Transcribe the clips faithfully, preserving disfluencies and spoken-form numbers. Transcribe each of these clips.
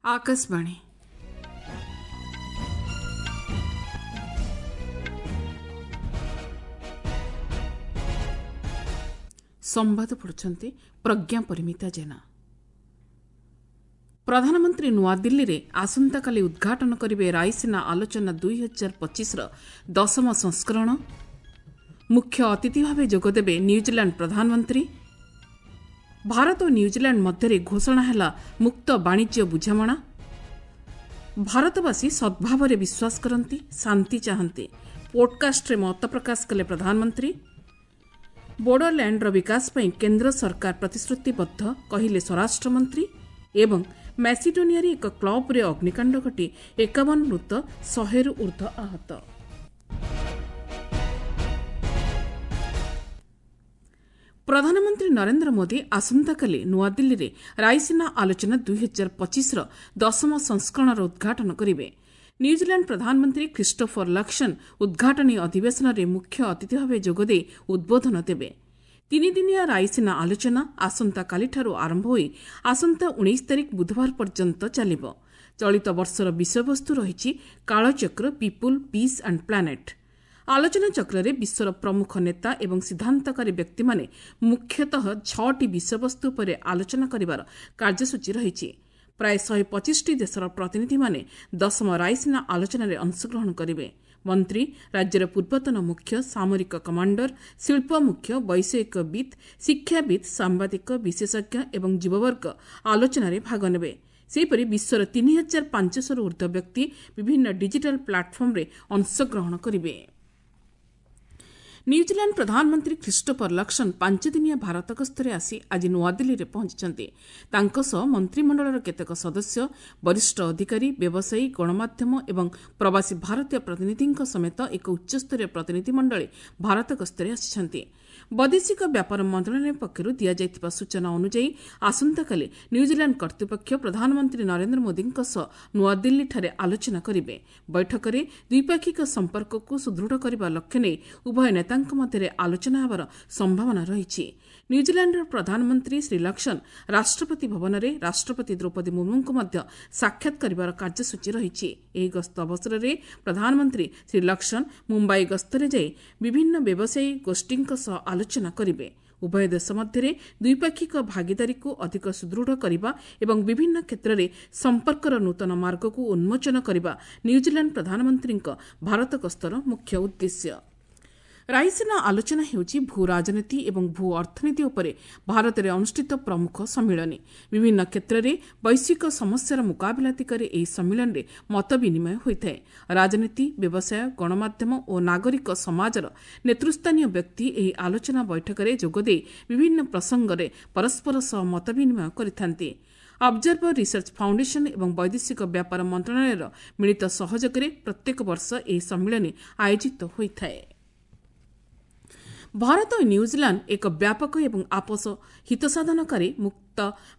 ଆକାଶବାଣୀ। ସମ୍ବାଦ ପଢ଼ୁଛନ୍ତି ପ୍ରଜ୍ଞା ପରିମିତା ଜେନା। ପ୍ରଧାନମନ୍ତ୍ରୀ ନୂଆଦିଲ୍ଲୀରେ ଆସନ୍ତାକାଲି ଉଦ୍ଘାଟନ କରିବେ ରାଇସିନା ଆଲୋଚନା ଦୁଇ ହଜାର ପଚିଶର ଦଶମ ସଂସ୍କରଣ। ମୁଖ୍ୟ ଅତିଥି ଭାବେ ଯୋଗଦେବେ ନ୍ୟୁଜିଲାଣ୍ଡ ପ୍ରଧାନମନ୍ତ୍ରୀ। ଭାରତ ଓ ନ୍ୟୁଜିଲାଣ୍ଡ ମଧ୍ୟରେ ଘୋଷଣା ହେଲା ମୁକ୍ତ ବାଣିଜ୍ୟ ବୁଝାମଣା। ଭାରତବାସୀ ସଦ୍ଭାବରେ ବିଶ୍ୱାସ କରନ୍ତି, ଶାନ୍ତି ଚାହାନ୍ତି, ପୋଡ୍କାଷ୍ଟରେ ମତ ପ୍ରକାଶ କଲେ ପ୍ରଧାନମନ୍ତ୍ରୀ। ବୋଡୋଲ୍ୟାଣ୍ଡର ବିକାଶ ପାଇଁ କେନ୍ଦ୍ର ସରକାର ପ୍ରତିଶ୍ରୁତିବଦ୍ଧ, କହିଲେ ସ୍ୱରାଷ୍ଟ୍ରମନ୍ତ୍ରୀ। ଏବଂ ମାସିଡୋନିଆରେ ଏକ କ୍ଲବ୍ରେ ଅଗ୍ନିକାଣ୍ଡ ଘଟି ଏକାବନ ମୃତ, ଶହେରୁ ଊର୍ଦ୍ଧ୍ୱ ଆହତ। ପ୍ରଧାନମନ୍ତ୍ରୀ ନରେନ୍ଦ୍ର ମୋଦି ଆସନ୍ତାକାଲି ନୂଆଦିଲ୍ଲୀରେ ରାଇସିନା ଆଲୋଚନା ଦୁଇ ହଜାର ପଚିଶର ଦଶମ ସଂସ୍କରଣର ଉଦ୍ଘାଟନ କରିବେ। ନ୍ୟୁଜିଲାଣ୍ଡ ପ୍ରଧାନମନ୍ତ୍ରୀ ଖ୍ରୀଷ୍ଟୋଫର ଲକ୍ସନ୍ ଉଦ୍ଘାଟନୀ ଅଧିବେଶନରେ ମୁଖ୍ୟ ଅତିଥି ଭାବେ ଯୋଗଦେଇ ଉଦ୍ବୋଧନ ଦେବେ। ତିନିଦିନିଆ ରାଇସିନା ଆଲୋଚନା ଆସନ୍ତାକାଲିଠାରୁ ଆରମ୍ଭ ହୋଇ ଆସନ୍ତା ଉଣେଇଶ ତାରିଖ ବୁଧବାର ପର୍ଯ୍ୟନ୍ତ ଚାଲିବ। ଚଳିତ ବର୍ଷର ବିଷୟବସ୍ତୁ ରହିଛି କାଳଚକ୍ର, ପିପୁଲ୍, ପିସ୍ ଆଣ୍ଡ ପ୍ଲାନେଟ୍। ଆଲୋଚନାଚକ୍ରରେ ବିଶ୍ୱର ପ୍ରମୁଖ ନେତା ଏବଂ ସିଦ୍ଧାନ୍ତକାରୀ ବ୍ୟକ୍ତିମାନେ ମୁଖ୍ୟତଃ ଛଅଟି ବିଷୟବସ୍ତୁ ଉପରେ ଆଲୋଚନା କରିବାର କାର୍ଯ୍ୟସୂଚୀ ରହିଛି। ପ୍ରାୟ ଶହେ ପଚିଶଟି ଦେଶର ପ୍ରତିନିଧିମାନେ ଦଶମ ରାଇସିନା ଆଲୋଚନାରେ ଅଂଶଗ୍ରହଣ କରିବେ। ମନ୍ତ୍ରୀ, ରାଜ୍ୟର ପୂର୍ବତନ ମୁଖ୍ୟ ସାମରିକ କମାଣ୍ଡର, ଶିଳ୍ପ ମୁଖ୍ୟ, ବୈଷୟିକବିତ୍, ଶିକ୍ଷାବିତ୍, ସାମ୍ବାଦିକ, ବିଶେଷଜ୍ଞ ଏବଂ ଯୁବବର୍ଗ ଆଲୋଚନାରେ ଭାଗ ନେବେ। ସେହିପରି ବିଶ୍ୱର ତିନି ହଜାର ପାଞ୍ଚଶହରୁ ଊର୍ଦ୍ଧ୍ୱ ବ୍ୟକ୍ତି ବିଭିନ୍ନ ଡିଜିଟାଲ୍ ପ୍ଲାଟଫର୍ମରେ ଅଂଶଗ୍ରହଣ କରିବେ। ନ୍ୟୁଜିଲାଣ୍ଡ ପ୍ରଧାନମନ୍ତ୍ରୀ ଖ୍ରୀଷ୍ଟୋଫର ଲକ୍ସନ୍ ପାଞ୍ଚଦିନିଆ ଭାରତ ଗସ୍ତରେ ଆସି ଆଜି ନୂଆଦିଲ୍ଲୀରେ ପହଞ୍ଚିଛନ୍ତି। ତାଙ୍କ ସହ ମନ୍ତ୍ରିମଣ୍ଡଳର କେତେକ ସଦସ୍ୟ, ବରିଷ୍ଠ ଅଧିକାରୀ, ବ୍ୟବସାୟୀ, ଗଣମାଧ୍ୟମ ଏବଂ ପ୍ରବାସୀ ଭାରତୀୟ ପ୍ରତିନିଧିଙ୍କ ସମେତ ଏକ ଉଚ୍ଚସ୍ତରୀୟ ପ୍ରତିନିଧିମଣ୍ଡଳୀ ଭାରତ ଗସ୍ତରେ ଆସିଛନ୍ତି। ବୈଦେଶିକ ବ୍ୟାପାର ମନ୍ତ୍ରଣାଳୟ ପକ୍ଷରୁ ଦିଆଯାଇଥିବା ସୂଚନା ଅନୁଯାୟୀ ଆସନ୍ତାକାଲି ନ୍ୟୁଜିଲାଣ୍ଡ କର୍ତ୍ତୃପକ୍ଷ ପ୍ରଧାନମନ୍ତ୍ରୀ ନରେନ୍ଦ୍ର ମୋଦିଙ୍କ ସହ ନୂଆଦିଲ୍ଲୀଠାରେ ଆଲୋଚନା କରିବେ। ବୈଠକରେ ଦ୍ୱିପାକ୍ଷିକ ସମ୍ପର୍କକୁ ସୁଦୃଢ଼ କରିବା ଲକ୍ଷ୍ୟ ନେଇ ଉଭୟ ନେତାଙ୍କ ମଧ୍ୟରେ ଆଲୋଚନା ହେବାର ସମ୍ଭାବନା ରହିଛି। ନ୍ୟୁଜିଲାଣ୍ଡର ପ୍ରଧାନମନ୍ତ୍ରୀ ଶ୍ରୀ ଲକ୍ସନ୍ ରାଷ୍ଟ୍ରପତି ଭବନରେ ରାଷ୍ଟ୍ରପତି ଦ୍ରୌପଦୀ ମୁର୍ମୁଙ୍କୁ ମଧ୍ୟ ସାକ୍ଷାତ କରିବାର କାର୍ଯ୍ୟସୂଚୀ ରହିଛି। ଏହି ଗସ୍ତ ଅବସରରେ ପ୍ରଧାନମନ୍ତ୍ରୀ ଶ୍ରୀ ଲକ୍ସନ୍ ମୁମ୍ବାଇ ଗସ୍ତରେ ଯାଇ ବିଭିନ୍ନ ବ୍ୟବସାୟୀ ଗୋଷ୍ଠୀଙ୍କ ସହ ଆଲୋଚନା କରିବେ। ଉଭୟ ଦେଶ ମଧ୍ୟରେ ଦ୍ୱିପାକ୍ଷିକ ଭାଗିଦାରୀକୁ ଅଧିକ ସୁଦୃଢ଼ କରିବା ଏବଂ ବିଭିନ୍ନ କ୍ଷେତ୍ରରେ ସମ୍ପର୍କର ନୂତନ ମାର୍ଗକୁ ଉନ୍ମୋଚନ କରିବା ନ୍ୟୁଜିଲାଣ୍ଡ ପ୍ରଧାନମନ୍ତ୍ରୀଙ୍କ ଭାରତ ଗସ୍ତର ମୁଖ୍ୟ ଉଦ୍ଦେଶ୍ୟ। ରାଇସିନା ଆଲୋଚନା ହେଉଛି ଭୂ ରାଜନୀତି ଏବଂ ଭୂ ଅର୍ଥନୀତି ଉପରେ ଭାରତରେ ଅନୁଷ୍ଠିତ ପ୍ରମୁଖ ସମ୍ମିଳନୀ। ବିଭିନ୍ନ କ୍ଷେତ୍ରରେ ବୈଶ୍ୱିକ ସମସ୍ୟାର ମୁକାବିଲା ଦିଗରେ ଏହି ସମ୍ମିଳନୀରେ ମତ ବିନିମୟ ହୋଇଥାଏ। ରାଜନୀତି, ବ୍ୟବସାୟ, ଗଣମାଧ୍ୟମ ଓ ନାଗରିକ ସମାଜର ନେତୃସ୍ଥାନୀୟ ବ୍ୟକ୍ତି ଏହି ଆଲୋଚନା ବୈଠକରେ ଯୋଗଦେଇ ବିଭିନ୍ନ ପ୍ରସଙ୍ଗରେ ପରସ୍ପର ସହ ମତ ବିନିମୟ କରିଥାନ୍ତି। ଅବଜର୍ଭର ରିସର୍ଚ୍ଚ ଫାଉଣ୍ଡେସନ ଏବଂ ବୈଦେଶିକ ବ୍ୟାପାର ମନ୍ତ୍ରଣାଳୟର ମିଳିତ ସହଯୋଗରେ ପ୍ରତ୍ୟେକ ବର୍ଷ ଏହି ସମ୍ମିଳନୀ ଆୟୋଜିତ ହୋଇଥାଏ। ଭାରତ ଓ ନ୍ୟୁଜିଲାଣ୍ଡ ଏକ ବ୍ୟାପକ ଏବଂ ଆପୋଷ ହିତସାଧନକାରୀ ମୁକ୍ତ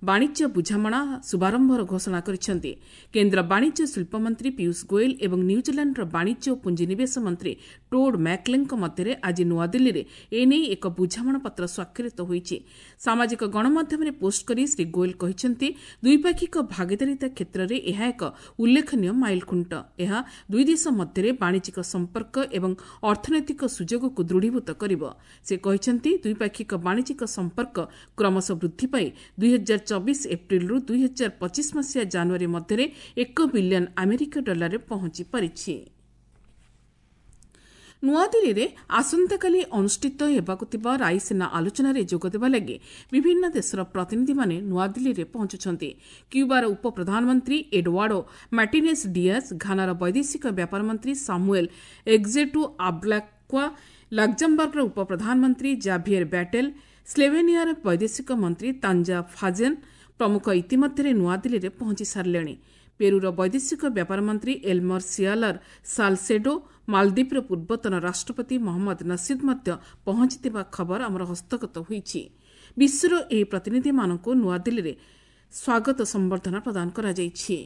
ବାଣିଜ୍ୟ ବୁଝାମଣା ଶୁଭାରମ୍ଭର ଘୋଷଣା କରିଛନ୍ତି। କେନ୍ଦ୍ର ବାଣିଜ୍ୟ ଶିଳ୍ପମନ୍ତ୍ରୀ ପୀୟୁଷ ଗୋଏଲ ଏବଂ ନ୍ୟୁଜିଲାଣ୍ଡର ବାଣିଜ୍ୟ ଓ ପୁଞ୍ଜିନିବେଶ ମନ୍ତ୍ରୀ ଟୋଡ୍ ମ୍ୟାକ୍ଲେଙ୍କ ମଧ୍ୟରେ ଆଜି ନୂଆଦିଲ୍ଲୀରେ ଏନେଇ ଏକ ବୁଝାମଣାପତ୍ର ସ୍ୱାକ୍ଷରିତ ହୋଇଛି। ସାମାଜିକ ଗଣମାଧ୍ୟମରେ ପୋଷ୍ଟ କରି ଶ୍ରୀ ଗୋଏଲ କହିଛନ୍ତି, ଦ୍ୱିପାକ୍ଷିକ ଭାଗିଦାରିତା କ୍ଷେତ୍ରରେ ଏହା ଏକ ଉଲ୍ଲେଖନୀୟ ମାଇଲଖୁଣ୍ଟ। ଏହା ଦୁଇ ଦେଶ ମଧ୍ୟରେ ବାଣିଜ୍ୟିକ ସମ୍ପର୍କ ଏବଂ ଅର୍ଥନୈତିକ ସୁଯୋଗକୁ ଦୃଢ଼ୀଭୂତ କରିବ। ସେ କହିଛନ୍ତି, ଦ୍ୱିପାକ୍ଷିକ ବାଣିଜ୍ୟିକ ସମ୍ପର୍କ କ୍ରମଶଃ ବୃଦ୍ଧି ପାଇ ଦୁଇ ହଜାର ଚବିଶ ଏପ୍ରିଲରୁ ଦୁଇ ହଜାର ପଚିଶ ମସିହା ଜାନୁଆରୀ ମଧ୍ୟରେ ଏକ ବିଲିୟନ ଆମେରିକୀୟ ଡଲାରରେ ପହଞ୍ଚି ପାରିଛି। ନୂଆଦିଲ୍ଲୀରେ ଆସନ୍ତାକାଲି ଅନୁଷ୍ଠିତ ହେବାକୁ ଥିବା ରାଇସିନା ଆଲୋଚନାରେ ଯୋଗଦେବା ଲାଗି ବିଭିନ୍ନ ଦେଶର ପ୍ରତିନିଧିମାନେ ନୂଆଦିଲ୍ଲୀରେ ପହଞ୍ଚୁଛନ୍ତି। କ୍ୟୁବାର ଉପପ୍ରଧାନମନ୍ତ୍ରୀ ଏଡୱାର୍ଡୋ ମାର୍ଟିନେସ୍ ଡିଆଜ୍, ଘାନାର ବୈଦେଶିକ ବ୍ୟାପାର ମନ୍ତ୍ରୀ ସାମୁଏଲ୍ ଏକ୍ଜେଟୁ ଆବ୍ଲାକ୍ୱା, ଲକ୍ଜମବର୍ଗର ଉପପ୍ରଧାନମନ୍ତ୍ରୀ ଜାଭିଏର୍ ବ୍ୟାଟେଲ୍, ସ୍ଲୋଭେନିଆର ବୈଦେଶିକ ମନ୍ତ୍ରୀ ତାଞ୍ଜା ଫାଜେନ୍ ପ୍ରମୁଖ ଇତିମଧ୍ୟରେ ନୂଆଦିଲ୍ଲୀରେ ପହଞ୍ଚି ସାରିଲେଣି। ପେରୁର ବୈଦେଶିକ ବ୍ୟାପାର ମନ୍ତ୍ରୀ ଏଲ୍ମର ସିଆଲର ସାଲସେଡୋ, ମାଲଦ୍ୱୀପର ପୂର୍ବତନ ରାଷ୍ଟ୍ରପତି ମହମ୍ମଦ ନସିଦ୍ ମଧ୍ୟ ପହଞ୍ଚିଥିବା ଖବର ଆମର ହସ୍ତଗତ ହୋଇଛି। ବିଶ୍ୱର ଏହି ପ୍ରତିନିଧିମାନଙ୍କୁ ନୂଆଦିଲ୍ଲୀରେ ସ୍ୱାଗତ ସମ୍ବର୍ଦ୍ଧନା ପ୍ରଦାନ କରାଯାଇଛି।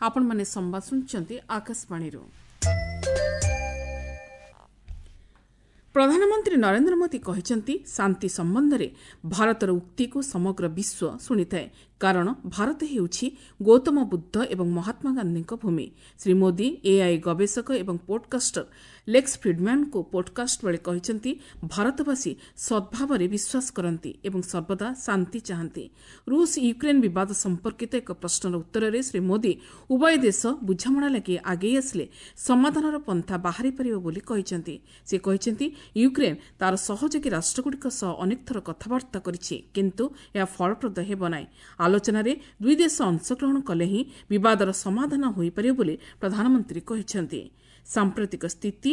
ଆପଣମାନେ ସମ୍ବାଦ ଶୁଣୁଛନ୍ତି ଆକାଶବାଣୀରୁ। ପ୍ରଧାନମନ୍ତ୍ରୀ ନରେନ୍ଦ୍ର ମୋଦି କହିଛନ୍ତି, ଶାନ୍ତି ସମ୍ବନ୍ଧରେ ଭାରତର ଉକ୍ତିକୁ ସମଗ୍ର ବିଶ୍ୱ ଶୁଣିଥାଏ, କାରଣ ଭାରତ ହେଉଛି ଗୌତମ ବୁଦ୍ଧ ଏବଂ ମହାତ୍ମା ଗାନ୍ଧୀଙ୍କ ଭୂମି। ଶ୍ରୀ ମୋଦି ଏଆଇ ଗବେଷକ ଏବଂ ପୋଡକାଷ୍ଟର ଲେକ୍ସ ଫ୍ରିଡ୍ମ୍ୟାନ୍ଙ୍କୁ ପୋଡକାଷ୍ଟ ବେଳେ କହିଛନ୍ତି, ଭାରତବାସୀ ସଦ୍ଭାବରେ ବିଶ୍ୱାସ କରନ୍ତି ଏବଂ ସର୍ବଦା ଶାନ୍ତି ଚାହାନ୍ତି। ରୁଷ ୟୁକ୍ରେନ୍ ବିବାଦ ସମ୍ପର୍କିତ ଏକ ପ୍ରଶ୍ନର ଉତ୍ତରରେ ଶ୍ରୀ ମୋଦି ଉଭୟ ଦେଶ ବୁଝାମଣା ଲାଗି ଆଗେଇ ଆସିଲେ ସମାଧାନର ପନ୍ଥା ବାହାରି ପାରିବ ବୋଲି କହିଛନ୍ତି। ସେ କହିଛନ୍ତି, ୟୁକ୍ରେନ୍ ତା'ର ସହଯୋଗୀ ରାଷ୍ଟ୍ରଗୁଡ଼ିକ ସହ ଅନେକ ଥର କଥାବାର୍ତ୍ତା କରିଛି, କିନ୍ତୁ ଏହା ଫଳପ୍ରଦ ହେବ ନାହିଁ। ଆଲୋଚନାରେ ଦୁଇ ଦେଶ ଅଂଶଗ୍ରହଣ କଲେ ହିଁ ବିବାଦର ସମାଧାନ ହୋଇପାରିବ ବୋଲି ପ୍ରଧାନମନ୍ତ୍ରୀ କହିଛନ୍ତି। ସାମ୍ପ୍ରତିକ ସ୍ଥିତି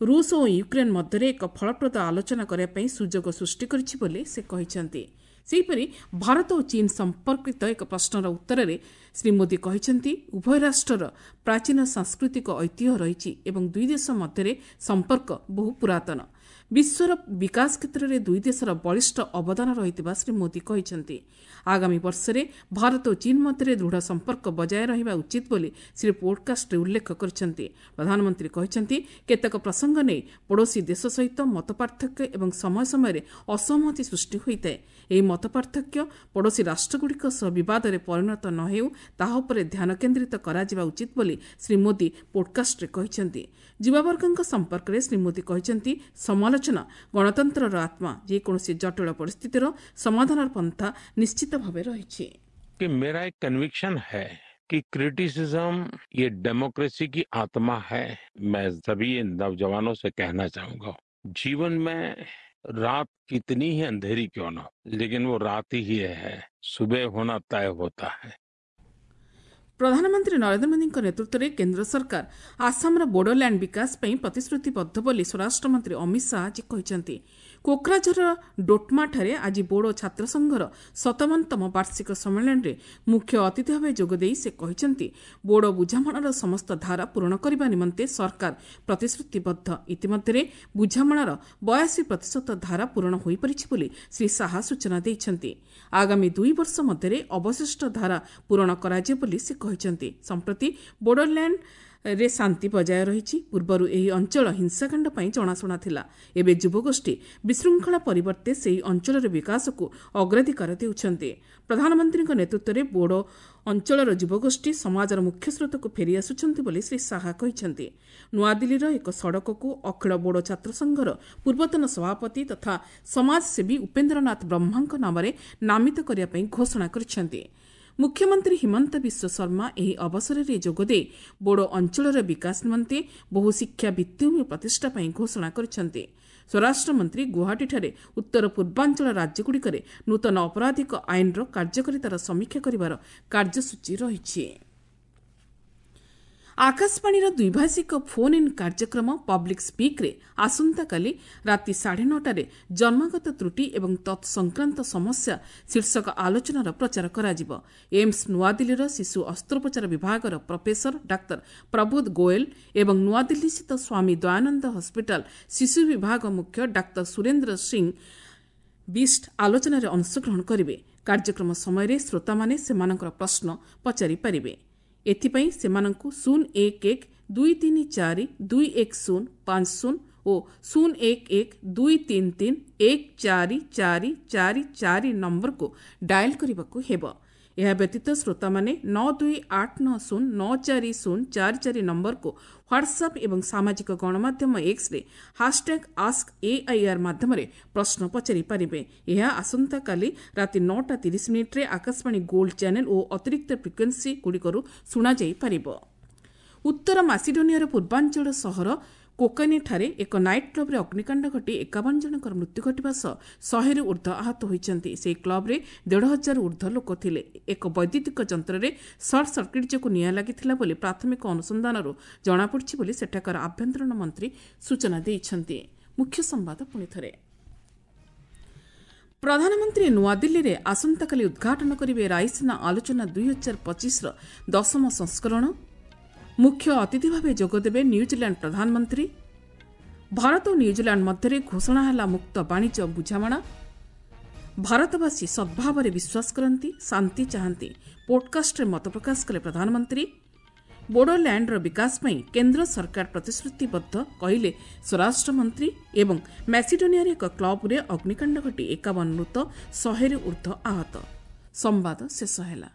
ରୁଷ ଓ ୟୁକ୍ରେନ୍ ମଧ୍ୟରେ ଏକ ଫଳପ୍ରଦ ଆଲୋଚନା କରିବା ପାଇଁ ସୁଯୋଗ ସୃଷ୍ଟି କରିଛି ବୋଲି ସେ କହିଛନ୍ତି। ସେହିପରି ଭାରତ ଓ ଚୀନ୍ ସମ୍ପର୍କିତ ଏକ ପ୍ରଶ୍ନର ଉତ୍ତରରେ ଶ୍ରୀ ମୋଦି କହିଛନ୍ତି, ଉଭୟ ରାଷ୍ଟ୍ରର ପ୍ରାଚୀନ ସାଂସ୍କୃତିକ ଐତିହ୍ୟ ରହିଛି ଏବଂ ଦୁଇ ଦେଶ ମଧ୍ୟରେ ସମ୍ପର୍କ ବହୁ ପୁରାତନ। ବିଶ୍ୱର ବିକାଶ କ୍ଷେତ୍ରରେ ଦୁଇ ଦେଶର ବଳିଷ୍ଠ ଅବଦାନ ରହିଥିବା ଶ୍ରୀ ମୋଦି କହିଛନ୍ତି। ଆଗାମୀ ବର୍ଷରେ ଭାରତ ଓ ଚୀନ୍ ମଧ୍ୟରେ ଦୃଢ଼ ସମ୍ପର୍କ ବଜାୟ ରହିବା ଉଚିତ ବୋଲି ଶ୍ରୀ ପୋଡକାଷ୍ଟରେ ଉଲ୍ଲେଖ କରିଛନ୍ତି। ପ୍ରଧାନମନ୍ତ୍ରୀ କହିଛନ୍ତି, କେତେକ ପ୍ରସଙ୍ଗ ନେଇ ପଡ଼ୋଶୀ ଦେଶ ସହିତ ମତପାର୍ଥକ୍ୟ ଏବଂ ସମୟ ସମୟରେ ଅସହମତି ସୃଷ୍ଟି ହୋଇଥାଏ। ଏହି ମତପାର୍ଥକ୍ୟ ପଡ଼ୋଶୀ ରାଷ୍ଟ୍ରଗୁଡ଼ିକ ସହ ବିବାଦରେ ପରିଣତ ନ ହେଉ ତାହା ଉପରେ ଧ୍ୟାନ କେନ୍ଦ୍ରିତ କରାଯିବା ଉଚିତ ବୋଲି ଶ୍ରୀ ମୋଦି ପୋଡକାଷ୍ଟରେ କହିଛନ୍ତି। ଯୁବାବର୍ଗଙ୍କ ସମ୍ପର୍କରେ ଶ୍ରୀ ମୋଦି କହିଛନ୍ତି, ସମାଲୋଚନା ଗଣତନ୍ତ୍ରର ଆତ୍ମା। ଯେକୌଣସି ଜଟିଳ ପରିସ୍ଥିତିର ସମାଧାନର ପନ୍ଥା ନିଶ୍ଚିତ ଭାବେ ରହିଛି। कि मेरा एक कन्विक्शन है कि क्रिटिसिज्म ये डेमोक्रेसी की आत्मा है। मैं सभी नौजवानों से कहना चाहूंगा, जीवन में रात कितनी ही अंधेरी क्यों ना हो, लेकिन वो रात ही है, सुबह होना तय होता है। ପ୍ରଧାନମନ୍ତ୍ରୀ ନରେନ୍ଦ୍ର ମୋଦିଙ୍କ ନେତୃତ୍ୱରେ କେନ୍ଦ୍ର ସରକାର ଆସାମର ବୋଡୋଲ୍ୟାଣ୍ଡ ବିକାଶ ପାଇଁ ପ୍ରତିଶ୍ରୁତିବଦ୍ଧ ବୋଲି ସ୍ୱରାଷ୍ଟ୍ରମନ୍ତ୍ରୀ ଅମିତ ଶାହା ଆଜି କହିଛନ୍ତି। କୋକ୍ରାଝରର ଡୋଟମାଠାରେ ଆଜି ବୋଡୋ ଛାତ୍ର ସଂଘର ସତାବନତମ ବାର୍ଷିକ ସମ୍ମିଳନୀରେ ମୁଖ୍ୟ ଅତିଥି ଭାବେ ଯୋଗଦେଇ ସେ କହିଛନ୍ତି, ବୋଡୋ ବୁଝାମଣାର ସମସ୍ତ ଧାରା ପୂରଣ କରିବା ନିମନ୍ତେ ସରକାର ପ୍ରତିଶ୍ରୁତିବଦ୍ଧ। ଇତିମଧ୍ୟରେ ବୁଝାମଣାର ବୟାଅଶୀ ପ୍ରତିଶତ ଧାରା ପୂରଣ ହୋଇପାରିଛି ବୋଲି ଶ୍ରୀ ଶାହା ସୂଚନା ଦେଇଛନ୍ତି। ଆଗାମୀ ଦୁଇ ବର୍ଷ ମଧ୍ୟରେ ଅବଶିଷ୍ଟ ଧାରା ପୂରଣ କରାଯିବ ବୋଲି ସେ କହିଛନ୍ତି। ସମ୍ପ୍ରତି ବୋଡୋଲ୍ୟାଣ୍ଡ ରେ ଶାନ୍ତି ବଜାୟ ରହିଛି। ପୂର୍ବରୁ ଏହି ଅଞ୍ଚଳ ହିଂସାକାଣ୍ଡ ପାଇଁ ଜଣାଶୁଣା ଥିଲା। ଏବେ ଯୁବଗୋଷ୍ଠୀ ବିଶୃଙ୍ଖଳା ପରିବର୍ତ୍ତେ ସେହି ଅଞ୍ଚଳର ବିକାଶକୁ ଅଗ୍ରାଧିକାର ଦେଉଛନ୍ତି। ପ୍ରଧାନମନ୍ତ୍ରୀଙ୍କ ନେତୃତ୍ୱରେ ବୋଡୋ ଅଞ୍ଚଳର ଯୁବଗୋଷ୍ଠୀ ସମାଜର ମୁଖ୍ୟସ୍ରୋତକୁ ଫେରିଆସୁଛନ୍ତି ବୋଲି ଶ୍ରୀ ଶାହା କହିଛନ୍ତି। ନୂଆଦିଲ୍ଲୀର ଏକ ସଡ଼କକୁ ଅଖିଳ ବୋଡୋ ଛାତ୍ର ସଂଘର ପୂର୍ବତନ ସଭାପତି ତଥା ସମାଜସେବୀ ଉପେନ୍ଦ୍ରନାଥ ବ୍ରହ୍ମାଙ୍କ ନାମରେ ନାମିତ କରିବା ପାଇଁ ଘୋଷଣା କରିଛନ୍ତି। ମୁଖ୍ୟମନ୍ତ୍ରୀ ହିମନ୍ତ ବିଶ୍ୱ ଶର୍ମା ଏହି ଅବସରରେ ଯୋଗଦେଇ ବୋଡୋ ଅଞ୍ଚଳର ବିକାଶ ନିମନ୍ତେ ବହୁ ଶିକ୍ଷା ଭିତ୍ତିଭୂମି ପ୍ରତିଷ୍ଠା ପାଇଁ ଘୋଷଣା କରିଛନ୍ତି। ସ୍ୱରାଷ୍ଟ୍ରମନ୍ତ୍ରୀ ଗୁଆହାଟୀଠାରେ ଉତ୍ତର ପୂର୍ବାଞ୍ଚଳ ରାଜ୍ୟଗୁଡ଼ିକରେ ନୂତନ ଅପରାଧିକ ଆଇନର କାର୍ଯ୍ୟକାରିତାର ସମୀକ୍ଷା କରିବାର କାର୍ଯ୍ୟସୂଚୀ ରହିଛି। ଆକାଶବାଣୀର ଦ୍ୱିଭାଷିକ ଫୋନ୍ ଇନ୍ କାର୍ଯ୍ୟକ୍ରମ ପବ୍ଲିକ୍ ସ୍ପିକ୍ରେ ଆସନ୍ତାକାଲି ରାତି ସାଢ଼େ ନଅଟାରେ ଜନ୍ମଗତ ତ୍ରୁଟି ଏବଂ ତତ୍ସଂକ୍ରାନ୍ତ ସମସ୍ୟା ଶୀର୍ଷକ ଆଲୋଚନାର ପ୍ରଚାର କରାଯିବ। ଏମ୍ସ ନୂଆଦିଲ୍ଲୀର ଶିଶୁ ଅସ୍ତ୍ରୋପଚାର ବିଭାଗର ପ୍ରଫେସର ଡାକ୍ତର ପ୍ରବୋଧ ଗୋଏଲ ଏବଂ ନୂଆଦିଲ୍ଲୀସ୍ଥିତ ସ୍ୱାମୀ ଦୟାନନ୍ଦ ହସ୍ପିଟାଲ ଶିଶୁ ବିଭାଗ ମୁଖ୍ୟ ଡାକ୍ତର ସୁରେନ୍ଦ୍ର ସିଂ ବିଷ୍ଟ ଆଲୋଚନାରେ ଅଂଶଗ୍ରହଣ କରିବେ। କାର୍ଯ୍ୟକ୍ରମ ସମୟରେ ଶ୍ରୋତାମାନେ ସେମାନଙ୍କର ପ୍ରଶ୍ନ ପଚାରିପାରିବେ। ଏଥିପାଇଁ ସେମାନଙ୍କୁ ଶୂନ ଏକ ଏକ ଦୁଇ ତିନି ଚାରି ଦୁଇ ଏକ ଶୂନ ପାଞ୍ଚ ଶୂନ ଓ ଶୂନ ଏକ ଏକ ଦୁଇ ତିନି ତିନି ଏକ ଚାରି ଚାରି ଚାରି ଚାରି ନମ୍ବରକୁ ଡାଏଲ୍ କରିବାକୁ ହେବ। ଏହା ବ୍ୟତୀତ ଶ୍ରୋତାମାନେ ନଅ ଦୁଇ ଆଠ ନଅ ଶୂନ ନଅ ଚାରି ଶୂନ ଚାରି ଚାରି ନମ୍ବରକୁ ହ୍ୱାଟ୍ସଆପ୍ ଏବଂ ସାମାଜିକ ଗଣମାଧ୍ୟମ ଏକ୍ସରେ ହାସଟ୍ୟାଗ୍ ଆସ୍କ ଏଆଇଆର୍ ମାଧ୍ୟମରେ ପ୍ରଶ୍ନ ପଚାରିପାରିବେ। ଏହା ଆସନ୍ତାକାଲି ରାତି ନଅଟା ତିରିଶ ମିନିଟ୍ରେ ଆକାଶବାଣୀ ଗୋଲ୍ଡ ଚ୍ୟାନେଲ୍ ଓ ଅତିରିକ୍ତ ଫ୍ରିକ୍ୱେନ୍ସି ଗୁଡ଼ିକରୁ ଶୁଣାଯାଇପାରିବ। ଉତ୍ତର ମାସିଡୋନିଆର ପୂର୍ବାଞ୍ଚଳ ସହର କୋକାନିଠାରେ ଏକ ନାଇଟ୍ କ୍ଲବ୍ରେ ଅଗ୍ନିକାଣ୍ଡ ଘଟି ଏକାବନ ଜଣଙ୍କର ମୃତ୍ୟୁ ଘଟିବା ସହ ଶହେରୁ ଉର୍ଦ୍ଧ୍ୱ ଆହତ ହୋଇଛନ୍ତି। ସେହି କ୍ଲବ୍ରେ ଦେଢ଼ ହଜାରରୁ ଉର୍ଦ୍ଧ୍ୱ ଲୋକ ଥିଲେ। ଏକ ବୈଦ୍ୟୁତିକ ଯନ୍ତ୍ରରେ ସର୍ଟ ସର୍କିଟ୍ ଯୋଗୁଁ ନିଆଁ ଲାଗିଥିଲା ବୋଲି ପ୍ରାଥମିକ ଅନୁସନ୍ଧାନରୁ ଜଣାପଡ଼ିଛି ବୋଲି ସେଠାକାର ଆଭ୍ୟନ୍ତରୀଣ ମନ୍ତ୍ରୀ ସୂଚନା ଦେଇଛନ୍ତି। ମୁଖ୍ୟ ସମ୍ବାଦ ପୁଣିଥରେ। ପ୍ରଧାନମନ୍ତ୍ରୀ ନୂଆଦିଲ୍ଲୀରେ ଆସନ୍ତାକାଲି ଉଦ୍ଘାଟନ କରିବେ ରାଇସିନା ଆଲୋଚନା ଦୁଇ ହଜାର ପଚିଶର ଦଶମ ସଂସ୍କରଣ। ମୁଖ୍ୟ ଅତିଥି ଭାବେ ଯୋଗଦେବେ ନ୍ୟୁଜିଲ୍ୟାଣ୍ଡ ପ୍ରଧାନମନ୍ତ୍ରୀ। ଭାରତ ଓ ନ୍ୟୁଜିଲ୍ୟାଣ୍ଡ ମଧ୍ୟରେ ଘୋଷଣା ହେଲା ମୁକ୍ତ ବାଣିଜ୍ୟ ବୁଝାମଣା। ଭାରତବାସୀ ସଦ୍ଭାବରେ ବିଶ୍ୱାସ କରନ୍ତି, ଶାନ୍ତି ଚାହାନ୍ତି, ପୋଡକାଷ୍ଟରେ ମତ ପ୍ରକାଶ କଲେ ପ୍ରଧାନମନ୍ତ୍ରୀ। ବୋଡୋଲ୍ୟାଣ୍ଡର ବିକାଶ ପାଇଁ କେନ୍ଦ୍ର ସରକାର ପ୍ରତିଶ୍ରୁତିବଦ୍ଧ କହିଲେ ସ୍ୱରାଷ୍ଟ୍ରମନ୍ତ୍ରୀ। ଏବଂ ମାସିଡୋନିଆରେ ଏକ କ୍ଲବ୍ରେ ଅଗ୍ନିକାଣ୍ଡ ଘଟି ଏକାବନ ମୃତ, ଶହେରୁ ଉର୍ଦ୍ଧ୍ୱ ଆହତ। ସମ୍ବାଦ ଶେଷ ହେଲା।